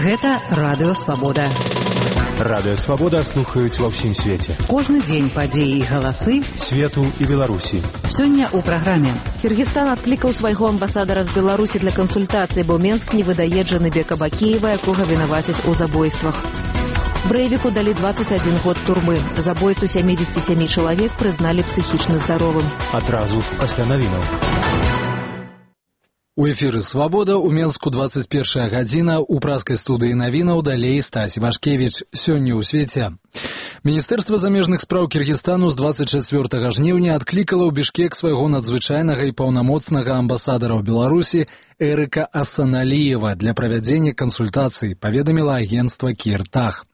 Гэта Радыё Свабода. Радыё Свабода слухаюць ва ўсім свеце. Кожны дзень падзеі і галасы свету і Беларусі. Сёння ў праграме. Кіргізстан адклікаў свайго амбасадара з Беларусі для кансультацыі, бо Менск не выдае Джаныбека Бакіева, якога вінавацяць у забойствах. Брэйвіку далі 21 год турмы. Забойцу 77 чалавек прызналі псіхічна здаровым. Адразу пасля навінаў. У эфіры «Свабода» у Менску 21 гадзіна, у праскай студыі навінаў далей Стась Вашкевіч. Сёння ў свеце. Міністэрства замежных спраў Кіргізстану з 24 жніўня адклікала ў Бішкек свайго надзвычайнага і паўнамоцнага амбасадара ў Беларусі Эрыка Асаналіева для правядзення кансультацый, паведаміла агенцтва Кіртах.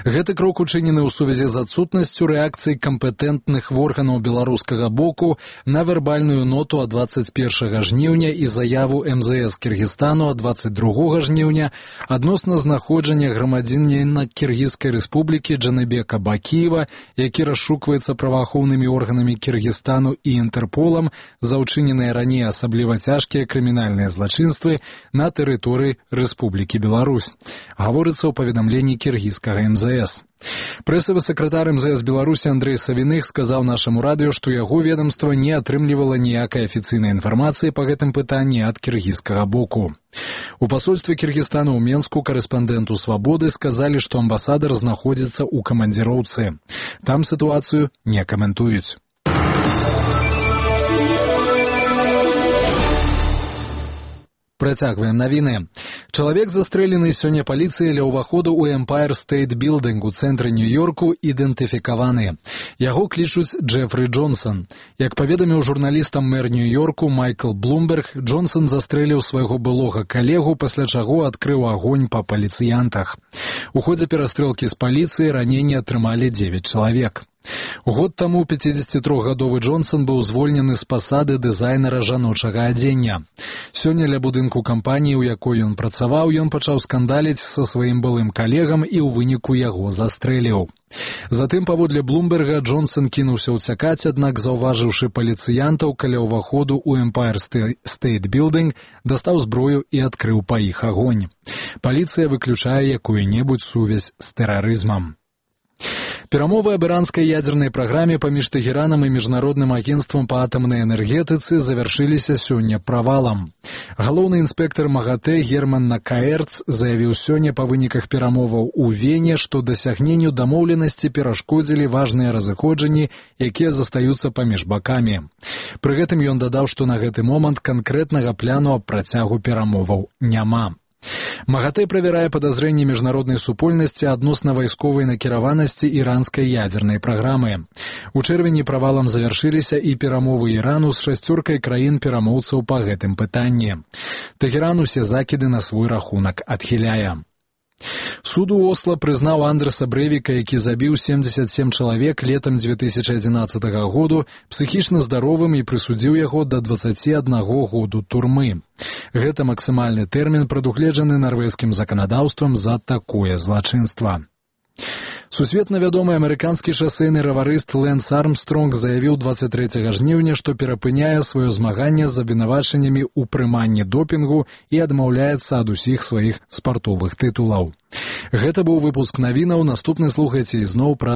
Гэты крок учынены ў сувязі з адсутнасцю рэакцыі кампетэнтных органаў беларускага боку на вербальную ноту ад 21 жніўня і заяву МЗС Кіргізстану ад 22 жніўня адносна знаходжання грамадзяніна Кіргізскай рэспублікі Джаныбека Бакіева, які расшукваецца праваахоўнымі органамі Кіргізстану і Інтэрполам за ўчыненыя раней асабліва цяжкія крымінальныя злачынствы на тэрыторыі Рэспублікі Беларусь. Гаворыцца ў паведамленні кіргізскага МЗС. Прэсавы сакратар МЗС Беларусі Андрэй Савіных сказаў нашаму радыё, што яго ведамства не атрымлівала ніякай афіцыйнай інфармацыі па гэтым пытанні ад кіргізскага боку. У пасольстве Кіргізстану ў Менску карэспандэнту «Свабоды» сказалі, што амбасадар знаходзіцца ў камандзіроўцы. Там сітуацыю не каментуюць. Працягваем навіны. Чалавек, застрэлены сёння паліцыяй ля ўваходу ў Empire State Building у цэнтры Нью-Йорку, ідэнтыфікаваны. Яго клічуць Джефры Джонсон. Як паведаміў журналістам мэр Нью-Йорку Майкл Блумберг, Джонсон застрэліў свайго былога калегу, пасля чаго адкрыў агонь па паліцыянтах. У ходзе перастрэлкі з паліцыяй раненні атрымалі 9 чалавек. Год таму 53-гадовы Джонсон быў звольнены з пасады дызайнера жаночага адзення. Сёння ля будынку кампаніі, у якой ён працаваў, ён пачаў скандаліць са сваім былым калегам і ў выніку яго застрэліў. Затым, паводле Блумберга, Джонсон кінуўся ўцякаць, аднак, заўважыўшы паліцыянтаў каля ўваходу ў Empire State Building, дастаў зброю і адкрыў па іх агонь. Паліцыя выключае якую-небудзь сувязь з тэрарызмам. Перамовы аб іранскай ядзернай праграме паміж Тэхеранам і міжнародным агенцтвам па атамнай энергетыцы завяршыліся сёння правалам. Галоўны інспектар МАГАТЭ Герман Накаэрц заявіў сёння па выніках перамоваў у Вене, што дасягненню дамоўленасці перашкодзілі важныя разыходжанні, якія застаюцца паміж бакамі. Пры гэтым ён дадаў, што на гэты момант канкрэтнага пляну аб працягу перамоваў няма. МАГАТЭ правярае падазрэнні міжнароднай супольнасці адносна вайсковай накіраванасці іранскай ядзернай праграмы. У чэрвені правалам завяршыліся і перамовы Ірану з 6 краін-перамоўцаў па гэтым пытанні. Тэхеран усе закіды на свой рахунак адхіляе. Суд у Осла прызнаў Андрэса Брэйвіка, які забіў 77 чалавек летам 2011 году, псіхічна здаровым і прысудзіў яго да 21 году турмы. Гэта максімальны тэрмін, прадугледжаны нарвежскім заканадаўствам за такое злачынства. Сусветна вядомы амерыканскі шасэйны раварыст Лэнс Армстронг заявіў 23 жніўня, што перапыняе сваё змаганне з абвінавачаннямі ў прыманні допінгу і адмаўляецца ад усіх сваіх спартовых тытулаў. Гэта быў выпуск навінаў. Наступны слухайце ізноў пра